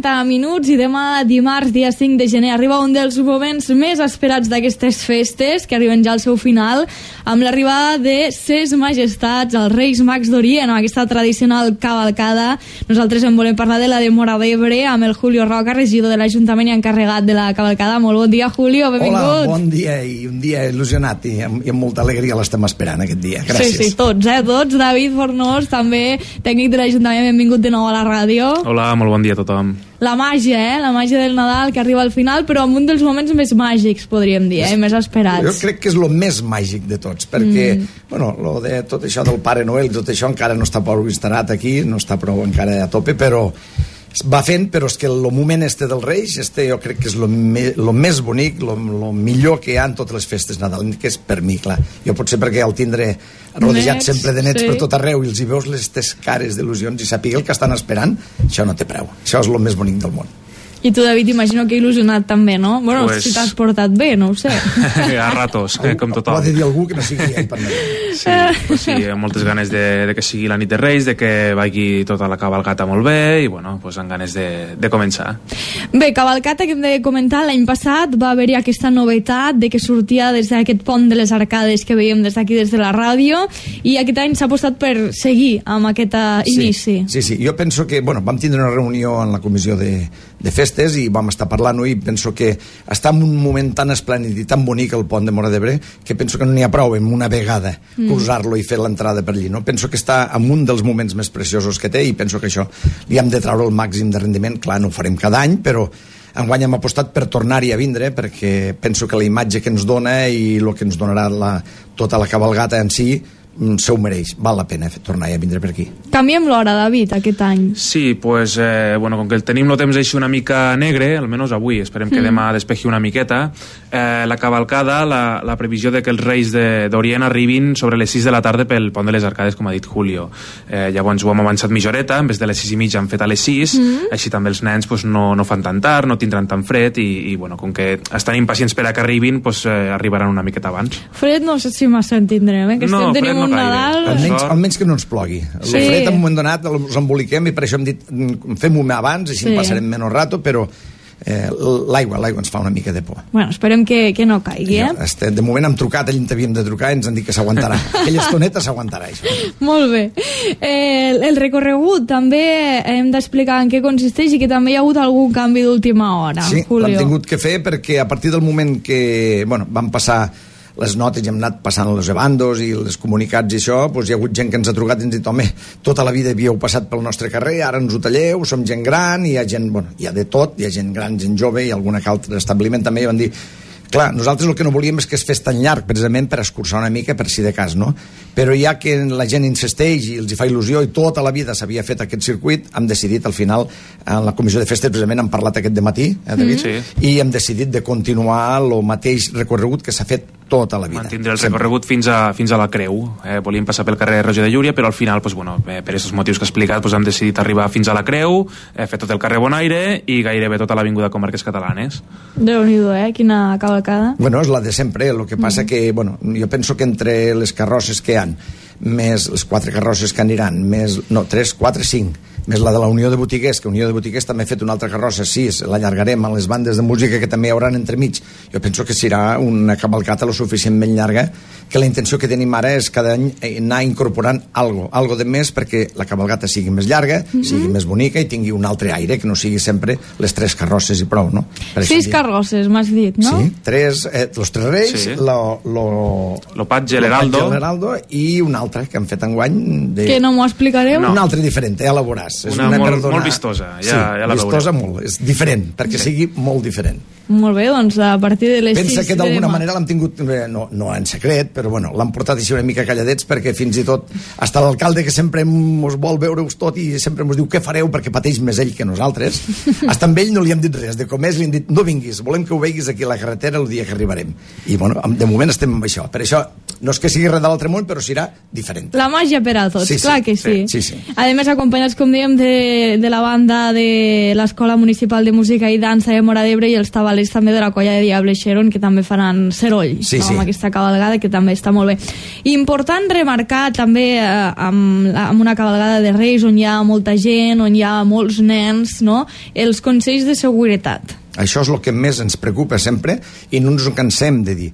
30 minuts i demà, dimarts, dia 5 de gener, arriba un dels moments més esperats d'aquestes festes, que arriben ja al seu final, amb l'arribada de Ses Majestats, els Reis Mags d'Orient, amb aquesta tradicional cavalcada. Nosaltres en volem parlar de la de Móra d'Ebre, amb el Julio Roca, regidor de l'Ajuntament i encarregat de la cavalcada. Molt bon dia, Julio, benvingut. Hola, bon dia, i un dia il·lusionat, i amb molta alegria l'estem esperant aquest dia. Gràcies. Sí, tots. David Fornós, també tècnic de l'Ajuntament, benvingut de nou a la ràdio. Hola, molt bon dia a tothom. La màgia, la màgia del Nadal que arriba al final, però amb un dels moments més màgics, podríem dir, més esperats. Jo crec que és el més màgic de tots, perquè, lo de tot això del Pare Noel i tot això encara no està prou instal·lat aquí, no està prou encara a tope, però va fent, però és que el moment dels Reis, jo crec que és el més bonic, el millor que hi ha en totes les festes nadalines, per mi, clar. Jo potser perquè el tindré rodejat sempre de nets per tot arreu i els hi veus les cares d'il·lusions i sàpiga el que estan esperant, això no té preu. Això és el més bonic del món. I tu, David, imagino que il·lusionat també, no? Bueno, pues... si t'has portat bé, no ho sé. A ratos, com tothom. Ho ha de dir algú que no sigui ell per mi. Sí, amb moltes ganes de que sigui la nit de Reis, de que vagi tota la cavalcata molt bé i, bueno, pues amb ganes de començar. Bé, cavalcata que hem de comentar, l'any passat va haver-hi aquesta novetat de que sortia des d'aquest pont de les arcades que veiem des d'aquí, des de la ràdio, i aquest any s'ha apostat per seguir amb aquest inici. Sí, jo penso que, vam tindre una reunió en la comissió de festes i vam estar parlant-ho i penso que està en un moment tan esplèndid i tan bonic el pont de Móra d'Ebre que penso que no n'hi ha prou en una vegada usar-lo i fer l'entrada per allí, no? Penso que està en un dels moments més preciosos que té i penso que això li hem de treure el màxim de rendiment. Clar, no ho farem cada any, però enguany hem apostat per tornar-hi a vindre perquè penso que la imatge que ens dona i el que ens donarà tota la cavalgata en si se ho mereix, val la pena tornar a vindre per aquí. Canviem l'hora, David, aquest any. Sí, pues, com que tenim el temps així una mica negre, almenys avui, esperem que demà despeji una miqueta, la cavalcada, la previsió de que els Reis d'Orient arribin sobre les 6 de la tarda pel pont de les Arcades, com ha dit Julio. Llavors ho hem avançat mitja horeta, en vez de les 6 i mitja han fet a les 6, així també els nens no fan tan tard, no tindran tan fred i com que estan impacients per a que arribin, arribaran una miqueta abans. Fred no sé si massa en tindrem, que estem tenint un Nadal... Almenys que no ens plogui. El fred en un moment donat ens emboliquem i per això hem dit fem-ho abans, així en passarem menys rato, però l'aigua ens fa una mica de por. Bueno, esperem que no caigui, De moment hem trucat, allà havíem de trucar i ens han dit que s'aguantarà. Aquella estoneta s'aguantarà, això. Molt bé. El recorregut també hem d'explicar en què consisteix i que també hi ha hagut algun canvi d'última hora, Julio. Sí, l'hem tingut que fer perquè a partir del moment que vam passar les notes i hem anat passant els ebandos i els comunicats i això, hi ha hagut gent que ens ha trucat i ens ha dit, home, tota la vida havíeu passat pel nostre carrer, ara ens ho talleu, som gent gran, i hi ha gent, hi ha de tot, hi ha gent gran, gent jove, i algun altre establiment també, i van dir, clar, nosaltres el que no volíem és que es fes tan llarg, precisament per escurçar una mica, per si de cas, no? Però ja que la gent insisteix i els hi fa il·lusió i tota la vida s'havia fet aquest circuit, hem decidit al final, en la comissió de festes precisament hem parlat aquest dematí, David? I hem decidit de continuar el mateix recorregut que s'ha fet tota la vida. Mantindre el recorregut fins a la Creu. Volíem passar pel carrer Roger de Llúria, però al final, per aquests motius que he explicat, hem decidit arribar fins a la Creu, fer tot el carrer Bonaire i gairebé tota l'avinguda Comarques Catalanes. Déu-n'hi-do, quina cavalcada. Bueno, és la de sempre, el que passa que, jo penso que entre les carrosses que hi ha, més les 4 carrosses que aniran, més, 3, 4, 5, més la de la Unió de Botiguers, que Unió de Botiguers també ha fet una altra carrossa, 6, l'allargarem a les bandes de música que també hi haurà entremig. Jo penso que serà una cavalcata lo suficientment llarga, que la intenció que tenim ara és cada any anar incorporant algo de més perquè la cavalgata sigui més llarga, sigui més bonica i tingui un altre aire, que no sigui sempre les 3 carrosses i prou, no? 6 carrosses, m'has dit, no? Sí, los 3 reis, lo Patge, l'Heraldo i un altre que han fet enguany que no m'ho explicareu? Un altre diferent, ja la veuràs. És una molt vistosa, ja la veurem. Vistosa molt, és diferent, perquè sigui molt diferent. Molt bé, doncs a partir de les 6... Pensa que d'alguna manera l'hem tingut, no en secret, però l'han portat així una mica calladets perquè fins i tot hasta l'alcalde que sempre ens vol veure-us tot i sempre ens diu què fareu perquè pateix més ell que nosaltres, hasta amb ell no li hem dit res, de com és li hem dit no vinguis, volem que ho veiguis aquí a la carretera el dia que arribarem. I de moment estem amb això. Per això No és que sigui res de l'altre món, però serà diferent. La màgia per a tots, clar que sí. Sí. A més, acompanyats, com dèiem, de la banda de l'Escola Municipal de Música i Dansa de Móra d'Ebre i els tabalers també de la colla de Diable Xeron, que també faran seroll amb aquesta cabalgada, que també està molt bé. Important remarcar també amb una cabalgada de Reis on hi ha molta gent, on hi ha molts nens, no? Els consells de seguretat. Això és el que més ens preocupa sempre i no ens ho cansem de dir.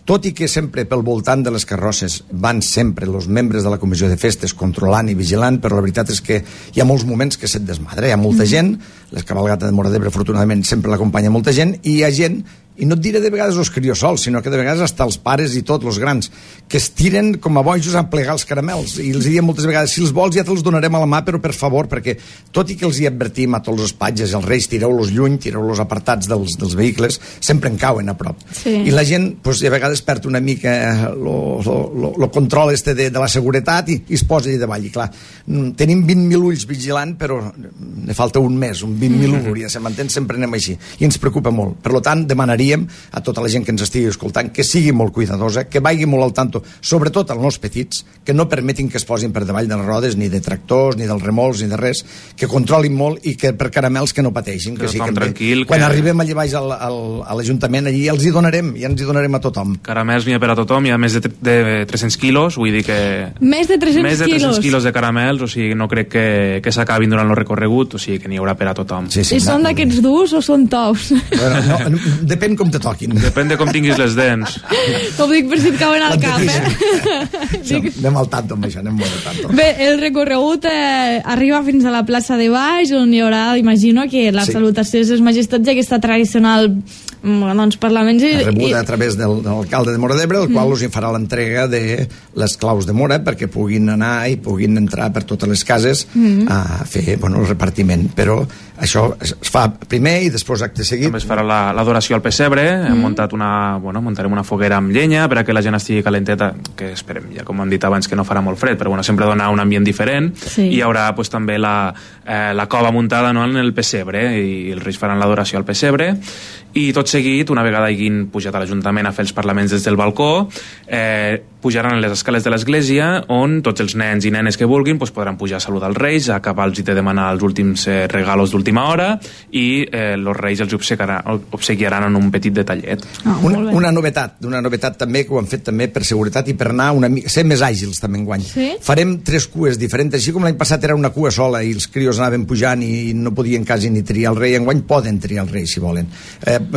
Tot i que sempre pel voltant de les carrosses van sempre els membres de la comissió de festes controlant i vigilant, però la veritat és que hi ha molts moments que se't desmadra. Hi ha molta gent, les cabalgates de Móra d'Ebre afortunadament sempre l'acompanya molta gent, i hi ha gent, i no et diré de vegades els criosols, sinó que de vegades hasta els pares i tots, els grans, que es tiren com a bojos a plegar els caramels, i els diem moltes vegades, si els vols ja te'ls donarem a la mà, però per favor, perquè tot i que els hi advertim a tots els patges, els reis, tireu-los lluny, tireu-los apartats dels vehicles, sempre en cauen a prop. Sí. I la gent, doncs, a vegades perd una mica el control de la seguretat i es posa allà davall. I clar, tenim 20.000 ulls vigilant, però ne falta un més, un 20.000 ulls, se m'entén, sempre anem així, i ens preocupa molt. Per tant, demanaria a tota la gent que ens estigui escoltant que sigui molt cuidadosa, que vagi molt al tanto, sobretot als nois petits, que no permetin que es posin per davall de les rodes, ni de tractors, ni dels remolcs, ni de res, que controlin molt i que per caramels que no pateixin, que sí, tranquil, quan arribem allà baix a l'Ajuntament, allí els hi donarem, ja ens hi donarem a tothom. Caramels n'hi ha per a tothom, hi ha més de 300 quilos, vull dir que... Més de 300 quilos de caramels, o sigui, no crec que s'acabin durant el recorregut, o sigui, que n'hi haurà per a tothom. Sí, I són d'aquests durs o són tous? Bueno, depèn com te toquin. Depèn de com tinguis les dents. Ho dic per si et cauen al cap, Anem al tanto amb això, anem molt al tanto. Bé, el recorregut arriba fins a la plaça de baix, on hi haurà, imagino, que la salutació de les majestats i aquesta tradicional parlaments rebuda a través de l'alcalde de Móra d'Ebre, el qual us hi farà l'entrega de les claus de Móra perquè puguin anar i puguin entrar per totes les cases a fer el repartiment, però això es fa primer i després acte seguit. També es farà l'adoració al pessebre, hem muntat muntarem una foguera amb llenya perquè la gent estigui calenteta, que esperem, ja com hem dit abans, que no farà molt fred, però sempre dona un ambient diferent, i hi haurà també la cova muntada en el pessebre, i els reis faran l'adoració al pessebre, i tot seguit, una vegada hagin pujat a l'Ajuntament a fer els parlaments des del balcó, pujaran a les escales de l'església, on tots els nens i nenes que vulguin podran pujar a saludar els reis, a acabar-los i de demanar els últims regalos d'última hora, i els reis els obsequiaran en un petit detallet. Una novetat també, que ho han fet també per seguretat i per anar ser més àgils també enguany. Farem 3 cues diferents, així com l'any passat era una cua sola i els crios anaven pujant i no podien quasi ni triar el rei, enguany poden triar el rei si volen.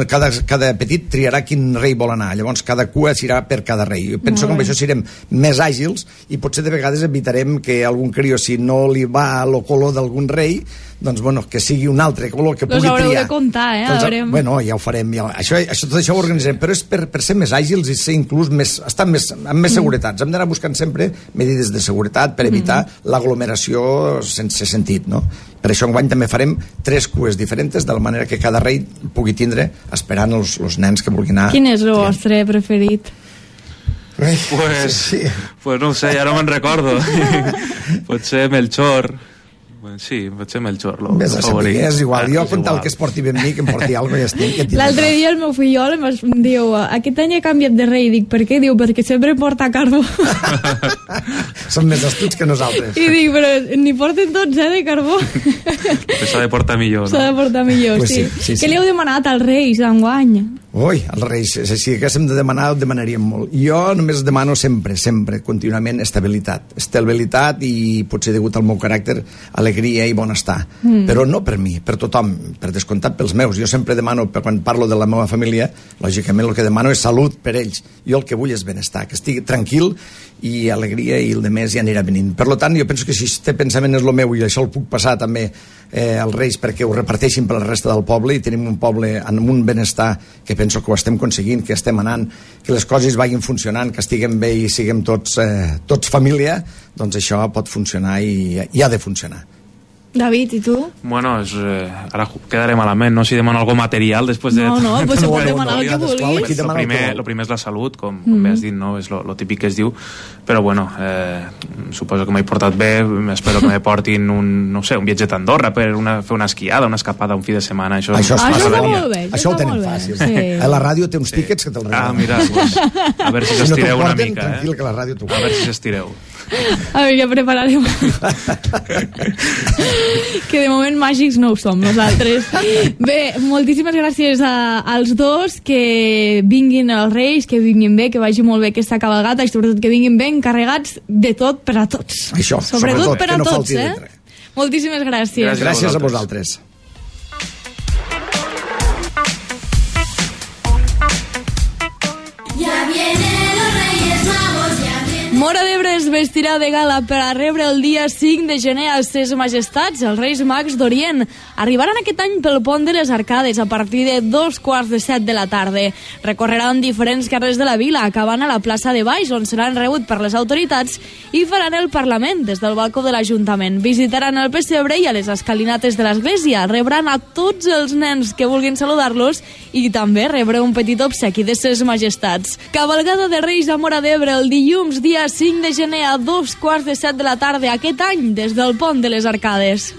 Cada petit triarà quin rei vol anar, llavors cada cua serà per cada rei. Jo penso que amb això serem més àgils i potser de vegades evitarem que algun crió, si no li va el color d'algun rei, doncs que sigui un altre color que pugui triar. Los haureu de comptar, ja ho farem, tot això ho organitzarem, però és per ser més àgils i ser inclús estar amb més seguretats. Hem d'anar buscant sempre medides de seguretat per evitar l'aglomeració sense sentit, no? Per això enguany també farem 3 cues diferents, de la manera que cada rei pugui tindre esperant els nens que vulguin anar. Quin és el vostre preferit? Pues no ho sé, ja no me'n recordo. Potser Melchor. Sí, potser Melchor, el favorit. És igual, jo con tal que es porti ben mi, que em porti alguna cosa, ja estic. L'altre dia el meu fillol em diu, aquest any he canviat de rei. Dic, per què? Diu, perquè sempre porta carbó. Són més astuts que nosaltres. I dic, però n'hi porten tots, de carbó. S'ha de portar millor, no? S'ha de portar millor, sí. Què li heu demanat als reis enguany? Ui, els reis, si haguéssim de demanar, ho demanaríem molt. Jo només demano sempre, contínuament, estabilitat i potser degut al meu caràcter, alegria i benestar. Però no per mi, per tothom, per descomptat pels meus. Jo sempre demano, quan parlo de la meva família, lògicament el que demano és salut per ells. Jo el que vull és benestar, que estigui tranquil i alegria, i el de més ja anirà venint. Per tant, jo penso que si este pensament és el meu i això el puc passar també als reis perquè ho reparteixin per la resta del poble i tenim un poble amb un benestar que penso que ho estem aconseguint, que estem anant, que les coses vagin funcionant, que estiguem bé i siguem tots família, doncs això pot funcionar i ha de funcionar. David, i tu? Bueno, ara quedaré malament, no? Si demano algo material després de... No, pues se pot demanar el que vulguis. Lo primer és la salut, com bé has dit, no? És lo típic que es diu, però bueno, suposo que m'he portat bé, espero que me portin un viatge a Andorra per fer una esquiada, una escapada un fi de setmana, això està molt bé. Això ho tenim fàcil. A la ràdio té uns tíquets que te'ls regalen. Mira, pues, a veure si s'estireu una mica. Tranquil, que la ràdio t'ho... A veure si s'estireu. A veure, ja prepararem. Que de moment màgics no ho som nosaltres. Bé, moltíssimes gràcies als dos, que vinguin els Reis, que vinguin bé, que vagi molt bé aquesta cabalgata i sobretot que vinguin ben carregats de tot per a tots. Això, sobretot per a no tots, Moltíssimes gràcies. Gràcies a vosaltres. Móra d'Ebre es vestirà de gala per a rebre el dia 5 de gener als Ses Majestats, els Reis Mags d'Orient. Arribaran aquest any pel pont de les Arcades a partir de 6:45 de la tarda. Recorreran diferents carrers de la vila, acabant a la plaça de Baix, on seran rebut per les autoritats, i faran el Parlament des del balcó de l'Ajuntament. Visitaran el pessebre i a les escalinates de l'església. Rebran a tots els nens que vulguin saludar-los i també rebre un petit obsequi de Ses Majestats. Cavalgada de Reis a Móra d'Ebre el dilluns, dia 5 de gener a 6:45 de la tarda aquest any des del pont de les Arcades.